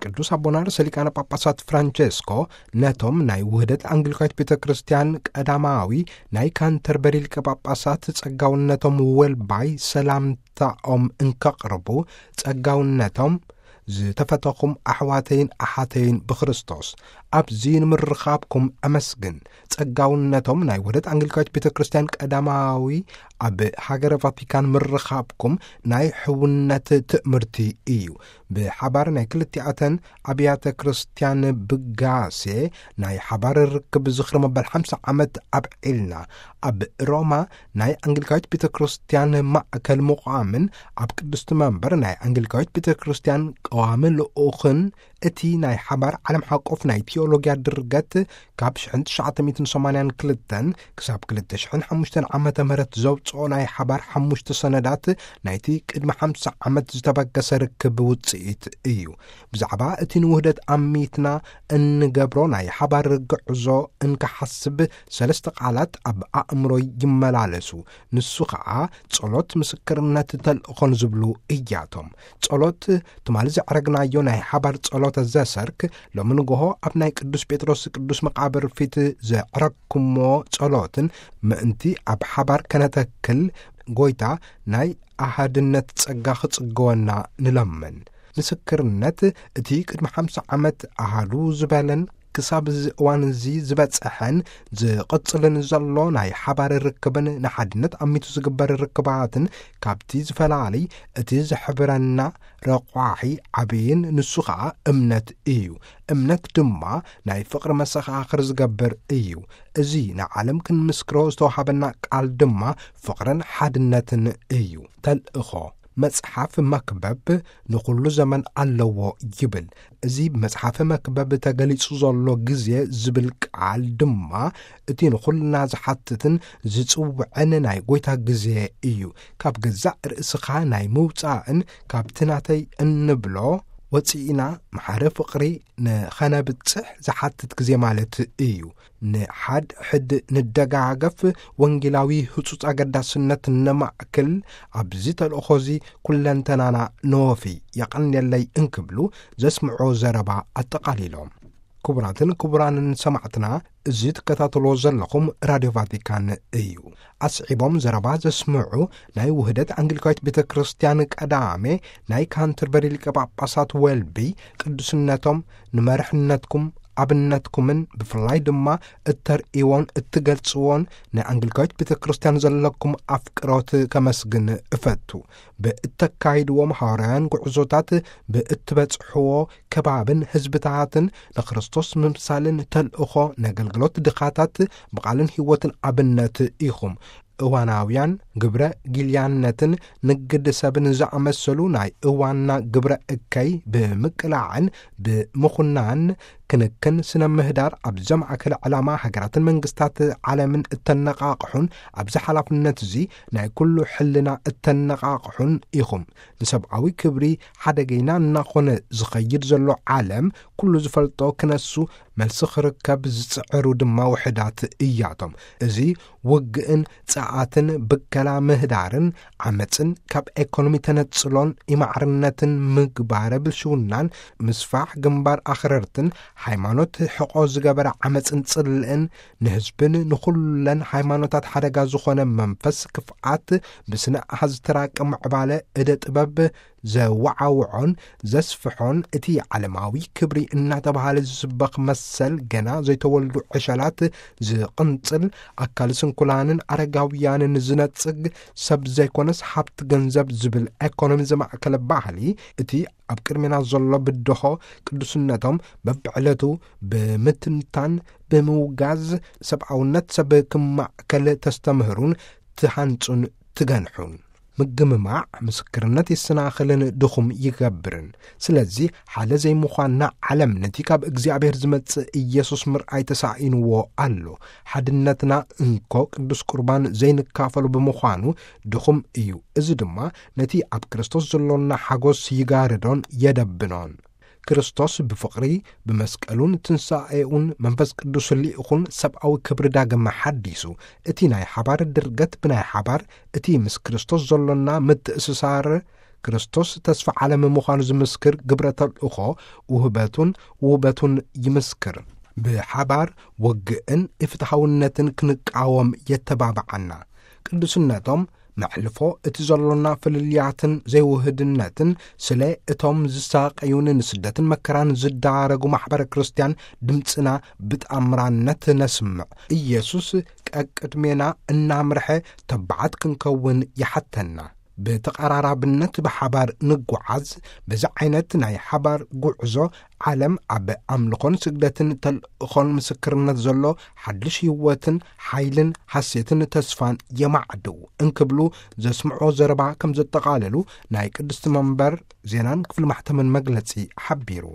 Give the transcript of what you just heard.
ቅዱስ ኣቦና ርእሰ ሊቃነ ጳጳሳት ፍራንቸስኮ ነቶም ናይ ውህደት ኣንግሊካዊት ቤተ ክርስቲያን ቀዳማዊ ናይ ካንተርበሪ ሊቀ ጳጳሳት ጸጋውነቶም ወልባይ ሰላምታኦም እንከቕርቡ፣ ጸጋውነቶም ዝተፈተኹም ኣሕዋተይን ኣሓተይን ብክርስቶስ፣ ኣብዚ ንምርኻብኩም ኣመስግን። ጸጋውነቶም ናይ ውህደት ኣንግሊካዊት ቤተ ክርስቲያን ቀዳማዊ ኣብ ሃገረ ቫቲካን ምርኻብኩም ናይ ሕውነት ትእምርቲ እዩ። ብሓባር ናይ ክልቲኣተን ኣብያተ ክርስቲያን ብጋሴ ናይ ሓባር ርክብ ዝኽሪ መበል ሓምሳ ዓመት ኣብዒልና። ኣብ ሮማ ናይ ኣንግሊካዊት ቤተ ክርስቲያን ማእከል ምቋምን ኣብ ቅድስቲ መንበር ናይ ኣንግሊካዊት ቤተ ክርስቲያን ቀዋሚ ልኡኽን እቲ ናይ ሓባር ዓለም ሓቆፍ ናይ ቲዮሎጊያ ድርገት ካብ ሽሕን ትሽዓተ ሚእትን ሰማንያን ክልተን ክሳብ ክልተ ሽሕን ሓሙሽተን ዓመተ ምህረት ዘውጽኦ ናይ ሓባር ሓሙሽተ ሰነዳት ናይቲ ቅድሚ ሓምሳ ዓመት ዝተበገሰ ርክብ ውጽኢት እዩ። ብዛዕባ እቲ ንውህደት ኣሚትና እንገብሮ ናይ ሓባር ግዕዞ እንክሓስብ ሰለስተ ቃላት ኣብ ኣእምሮይ ይመላለሱ። ንሱ ኸኣ ጸሎት፣ ምስክርነት፣ ተልእኾን ዝብሉ እያቶም። ጸሎት፣ ትማሊ ዘዕረግናዮ ናይ ሓባር ጸሎተ ዘሰርክ፣ ሎሚ ንግሆ ኣብ ናይ ቅዱስ ጴጥሮስ ቅዱስ መቃብር ፊት ዘዕረግኩሞ ጸሎትን ምእንቲ ኣብ ሓባር ከነተክል ጎይታ ናይ ኣሃድነት ጸጋ ክጽገወና ንለምን። ምስክርነት፣ እቲ ቅድሚ ሓምሳ ዓመት ኣሃዱ ዝበለን ክሳብ እዚ እዋን እዚ ዝበጽሐን ዝቕጽልን ዘሎ ናይ ሓባር ርክብን ንሓድነት ኣሚቱ ዝግበር ርክባትን ካብቲ ዝፈላሊ እቲ ዝሕብረና ረቋሒ ዓብይን ንሱ ኸኣ እምነት እዩ። እምነት ድማ ናይ ፍቕሪ መሰኻኽር ዝገብር እዩ። እዚ ንዓለም ክንምስክሮ ዝተዋሃበና ቃል ድማ ፍቕርን ሓድነትን እዩ። ተልእኾ መጽሓፍ መክብብ ንኹሉ ዘመን ኣለዎ ይብል። እዚ ብመጽሓፈ መክብብ ተገሊጹ ዘሎ ግዜ ዝብል ቃል ድማ እቲ ንኹልና ዝሓትትን ዝጽውዕን ናይ ጎይታ ግዜ እዩ። ካብ ገዛእ ርእስኻ ናይ ምውጻእን ካብቲ ናተይ እንብሎ ወጺእና ማሕረ ፍቕሪ ንኸነብጽሕ ዝሓትት ግዜ ማለት እዩ። ንሓድ ሕድ ንደጋገፍ፣ ወንጌላዊ ህጹጽ ኣገዳስነት ነማእክል፣ ኣብዚ ተልእኾዚ ኩለንተናና ነወፊ፣ የቐንየለይ እንክብሉ ዘስምዖ ዘረባ ኣጠቓሊሎም። ክቡራትን ክቡራንን ሰማዕትና፣ እዚ ትከታተልዎ ዘለኹም ራድዮ ቫቲካን እዩ። ኣስዒቦም ዘረባ ዘስምዑ ናይ ውህደት ኣንግሊካዊት ቤተ ክርስቲያን ቀዳሜ ናይ ካንተርበሪ ሊቀ ጳጳሳት ዌልቢ ቅዱስነቶም ንመርሕነትኩም ኣብነትኩምን ብፍላይ ድማ እተርእይዎን እትገልጽዎን ናይ ኣንግሊካዊት ቤተ ክርስቲያን ዘለኩም ኣፍቅሮት ከመስግን እፈቱ። ብእተካይድዎም ሃዋርያውያን ጉዕዞታት ብእትበጽሕዎ ከባብን ህዝብታትን ንክርስቶስ ምምሳልን ተልእኾ ነገልግሎት ድኻታት ብቓልን ህይወትን ኣብነት ኢኹም። እዋናውያን ግብረ ጊልያነትን ንግድ ሰብን ዝኣመሰሉ ናይ እዋንና ግብረ እከይ ብምቅላዕን ብምኹናን ክንክን ስነ ምህዳር ኣብ ዘማእከለ ዕላማ ሃገራትን መንግስታት ዓለምን እተነቃቕሑን ኣብዚ ሓላፍነት እዚ ናይ ኩሉ ሕልና እተነቃቕሑን ኢኹም። ንሰብኣዊ ክብሪ ሓደገይና እናኾነ ዝኸይድ ዘሎ ዓለም ኩሉ ዝፈልጦ ክነሱ መልሲ ክርከብ ዝጽዕሩ ድማ ውሕዳት እያቶም። እዚ ውግእን ጸዓትን ብከላ ምህዳርን ዓመጽን ካብ ኤኮኖሚ ተነጽሎን ኢማዕርነትን ምግባረ ብልሽውናን ምስፋሕ ግንባር ኣኽረርትን ሃይማኖት ሕቆ ዝገበረ ዓመጽን ጽልእን ንህዝብን ንኹለን ሃይማኖታት ሓደጋ ዝኾነ መንፈስ ክፍኣት ብስነ ኣሃዝ ተራቂ ምዕባለ እደ ጥበብ ዘወዓውዖን ዘስፍሖን እቲ ዓለማዊ ክብሪ እናተባህለ ዝስበኽ መሰል ገና ዘይተወልዱ ዕሸላት ዝቕንጽል ኣካል ስንኩላንን ኣረጋውያንን ዝነጽግ ሰብ ዘይኮነስ ሃብቲ ገንዘብ ዝብል ኤኮኖሚ ዘማእከለ ባህሊ እቲ ኣብ ቅድሜና ዘሎ ብድሆ ቅዱስነቶም በብዕለቱ ብምትንታን ብምውጋዝ ሰብኣውነት ሰብ ክማእከል ተስተምህሩን ትሃንጹን ትገንሑን። ምግምማዕ ምስክርነት የሰናኽልን ድኹም ይገብርን። ስለዚ ሓደ ዘይምዃንና ዓለም ነቲ ካብ እግዚኣብሔር ዝመጽእ ኢየሱስ ምርኣይ ተሳኢንዎ ኣሎ። ሓድነትና እንኮ ቅዱስ ቁርባን ዘይንካፈሉ ብምዃኑ ድኹም እዩ። እዚ ድማ ነቲ ኣብ ክርስቶስ ዘሎና ሓጎስ ይጋርዶን የደብኖን። ክርስቶስ ብፍቕሪ ብመስቀሉን ትንሳኤኡን መንፈስ ቅዱስ ልኢኹን ሰብኣዊ ክብሪ ዳግም ሓዲሱ። እቲ ናይ ሓባር ድርገት ብናይ ሓባር እቲ ምስ ክርስቶስ ዘሎና ምትእስሳር ክርስቶስ ተስፋ ዓለም ምዃኑ ዝምስክር ግብረ ተልእኾ ውህበቱን ውበቱን ይምስክር። ብሓባር ወግእን ኢፍትሓውነትን ክንቃወም የተባብዓና። ቅዱስነቶም መሕልፎ እቲ ዘሎና ፍልልያትን ዘይውህድነትን ስለ እቶም ዝሳቀዩን ንስደትን መከራን ዝዳረጉ ማሕበረ ክርስቲያን ድምፅና ብጣምራነት ነስምዕ። ኢየሱስ ቀቅድሜና እናምርሐ ተባዓት ክንከውን ይሓተና። ብተቐራራብነት ብሓባር ንጓዓዝ። በዚ ዓይነት ናይ ሓባር ጉዕዞ ዓለም ኣብ ኣምልኾን ስግደትን ተልእኾን ምስክርነት ዘሎ ሓድሽ ህይወትን ሓይልን ሓሴትን ተስፋን የማዕድው እንክብሉ ዘስምዖ ዘረባ ከም ዘጠቓለሉ ናይ ቅድስቲ መንበር ዜናን ክፍሊ ማሕተምን መግለጺ ሓቢሩ።